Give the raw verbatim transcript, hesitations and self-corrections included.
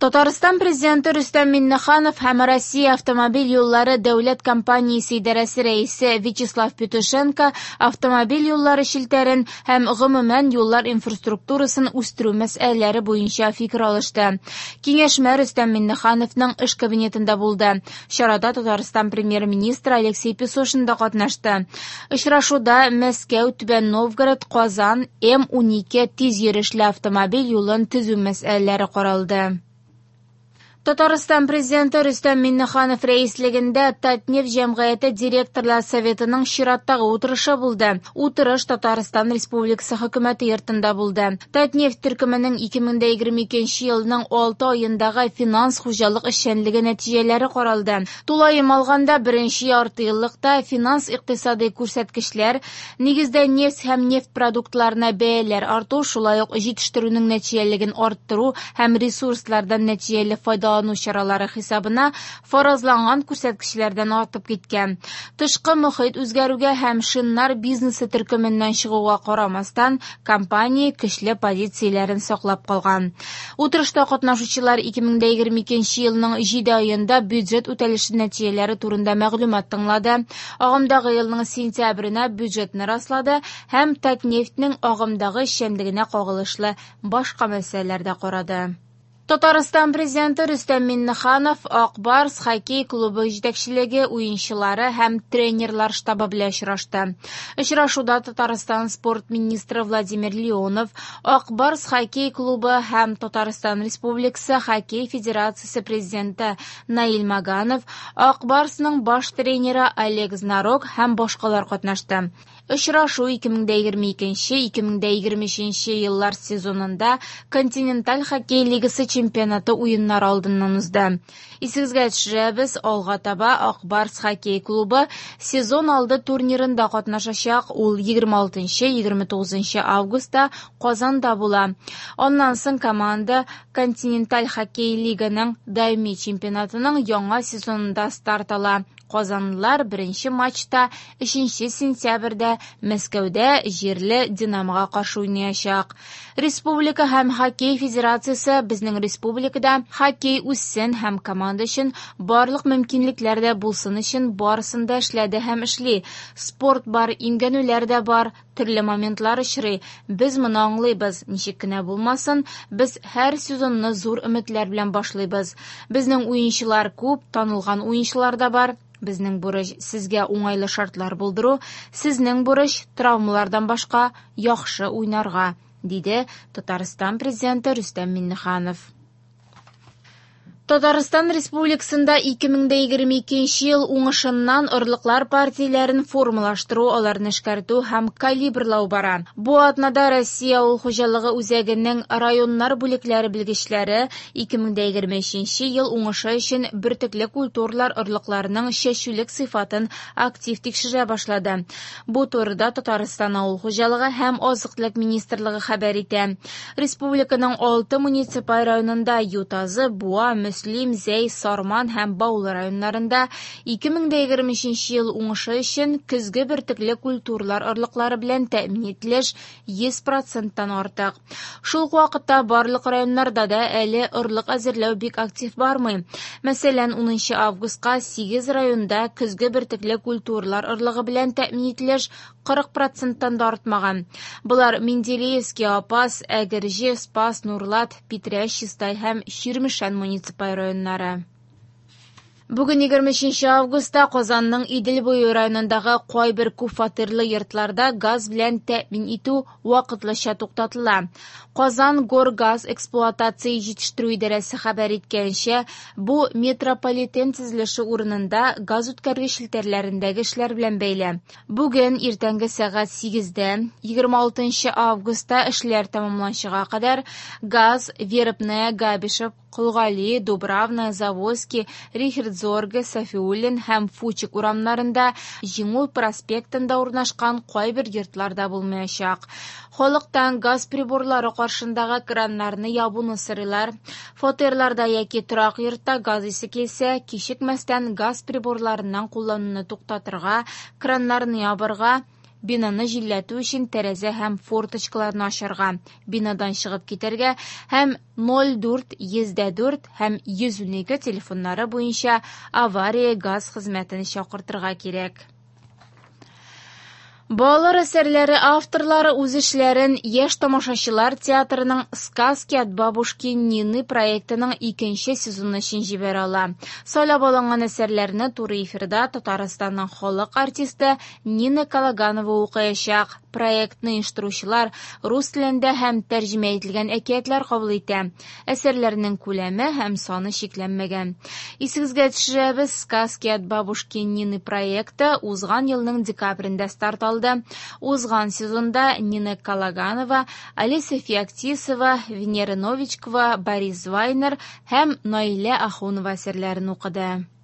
Татарстан Президенты Рөстәм Миңнеханов һәм Россия автомобиль юллары дәүләт компаниясе идарәсе рәисе Вячеслав Петушенко автомобиль юллары челтәрен һәм гомумән юллар инфраструктурасын үстерү мәсьәләләре буенча фикер алышты. Киңәшмә Рөстәм Миңнехановның эш кабинетында булды. Чарада Татарстан премьер-министры Алексей Песошин да катнашты. Очрашуда Мәскәү, Түбән Новгород, Казан, М унике тиз йөрешле автомобиль юлын төзү мәсьәләләре каралды. Татарстан Президенты Рөстәм Миңнеханов рәислегендә Татнефть җәмгыяте директорлар советының чираттагы утырышы булды. Утырыш Татарстан Республикасы хөкүмәте йортында булды. Татнефть төркеменең ике мең дә егерме икенче елның алты аендагы финанс хуҗалык эшчәнлеге нәтиҗәләре каралды. Тулаем алганда беренче ярты еллыкта финанс икътисади күрсәткечләр, нигездә нефть һәм нефть продуктларына бәяләр арту, шулай ук җитештерүнең нәтиҗәлелеген арттыру һәм ресурслардан нәтиҗәле файдалану чаралары хисабына фаразланган күрсәткечләрдән артып киткән. Тышкы мохит үзгәрүгә һәм шиннар бизнесы төркеменнән чыгуга карамастан, компания көчле позицияләрен саклап калган. Утырышта катнашучылар ике мең дә егерме икенче елның җиде аенда бюджет үтәлеше нәтиҗәләре турында мәгълүмат тыңлады. Агымдагы елның сентябренә бюджетны раслады һәм Татнефтьнең агымдагы эшчәнлегенә кагылышлы башка мәсьәләләр дә карады. Татарстан Президенты Рөстәм Миңнеханов Ак Барс хоккей клубы җитәкчелеге, уенчылары һәм тренерлар штабы белән очрашты. Очрашуда Татарстан спорт министры Владимир Леонов, Ак Барс хоккей клубы һәм Татарстан Республикасы хоккей федерациясе президенты Наил Маганов, Ак Барсның баш тренеры Олег Знарок һәм башкалар катнашты. Очрашу ике мең дә егерме икенче - ике мең дә егерме өченче еллар сезонында Континенталь хоккей лигасы чемпионаты уеннары алдыннан узды. Исегезгә төшерәбез, алга таба Ак Барс хоккей клубы сезон алды турнирында катнашачак. Ул егерме алтынчы - егерме тугызынчы августта Казанда була. Аннан соң команда Континенталь хоккей лиганың даими чемпионатының яңа сезонында старт ала. Казанлылар беренче матчта өченче сентябрьдә Мәскәүдә җирле Динамога каршы уйнаячак. Республика һәм хоккей федерациясе безнең республикада хоккей үссен һәм команда өчен барлык мөмкинлекләр дә булсын өчен барысын да эшләде һәм эшли. Спорт бар, имгәнүләр дә бар, төрле моментлар очрый. Без моны аңлыйбыз. Ничек кенә булмасын, без һәр сезонны зур өметләр белән башлыйбыз. Безнең уенчылар күп, танылган уенчылар да бар. Безнең бурыч сезгә уңайлы шартлар булдыру, сезнең бурыч травмалардан башка яхшы уйнарга, диде Татарстан Президенты Рөстәм Миңнеханов. Татарстан Республикасында ике мең дә егерме икенче ел уңышыннан орлыклар партияләрен формалаштыру, аларны эшкәртү һәм калибрлау бара. Бу атнада Россия авыл хуҗалыгы үзәгенең районнар бүлекләре белгечләре ике мең дә егерме өченче ел уңышы өчен бөртекле культуралар орлыкларының чәчүлек сыйфатын актив тикшерә башлады. Бу турыда Татарстан авыл хуҗалыгы һәм азык-төлек министрлыгы хәбәр итә. Республиканың алты муниципаль районында Ютазы, Буа, Мөслим, Зәй, Сарман һәм Баулы районнарында ике мең дә егерме өченче ел уңышы өчен көзге бөртекле культуралар орлыклары белән тәэмин ителеш йөз проценттан артык. Шул ук вакытта барлык районнарда да әле орлык әзерләү бик актив бармый. Мәсәлән, унынчы августка сигез районда көзге бөртекле культуралар орлыгы белән тәэмин ителеш кырык проценттан да артмаган. Болар Менделеевский, Апас, Әгерҗе, Спас, Нурлат, Питрәч, Чистай һәм Чирмешән муниципаль районнары. Бүген егерме өченче августта Казанның Идел буе районындагы кайбер күп фатирлы йортларда газ белән тәэмин итү вакытлыча туктатыла. Казан Горгаз эксплуатация җитештерү идарәсе хәбәр иткәнчә, бу метрополитен төзелеше урынында газ үткәргеч челтәрләрендәге эшләр белән бәйле. Бүген иртәнге сәгать сигездә, егерме алтынчы августта эшләр тәмамланчыга кадәр газ Вербная, Габишев, Колгали, Дубравная, Заводский, Рихердзорге, Сафиуллин һәм Фучик урамнарында, Җиңү проспектында урнашкан кайбер йортларда булмаячак. Халыктан газ приборлары каршындагы краннарны ябуны сорыйлар. Фатирларда яки торак йортта газ исе килсә, кичекмәстән газ приборларыннан куллануны туктатырга, краннарны ябырга, Бинаны җилләтү өчен тәрәзә һәм форточкаларны ачарга, бинадан чыгып китәргә һәм ноль дүрт йөз дә дүрт һәм йөз унике телефоннары буенча авария газ хезмәтен чакыртырга кирәк. Балалар әсәрләре авторлары үз эшләрен Яшь тамашачылар театрының «Сказки от бабушки Нины» проектының икенче сезоны өчен җибәрә ала. Сайлап алынган әсәрләрне туры эфирда Татарстанның халык артисты Нина Калаганова укыячак. Проектны оештыручылар рус телендә һәм тәрҗемә ителгән әкиятләр кабул итә. Әсәрләрнең күләме һәм саны чикләнмәгән. Исегезгә төшерәбез, «Сказки от бабушки Нины» проекты узган елның декабрендә старт алды. Узган сезонда Нина Калаганова, Алиса Феоктисова, Венера Новичкова, Борис Вайнер һәм Наилә Ахунова әсәрләрен укыды.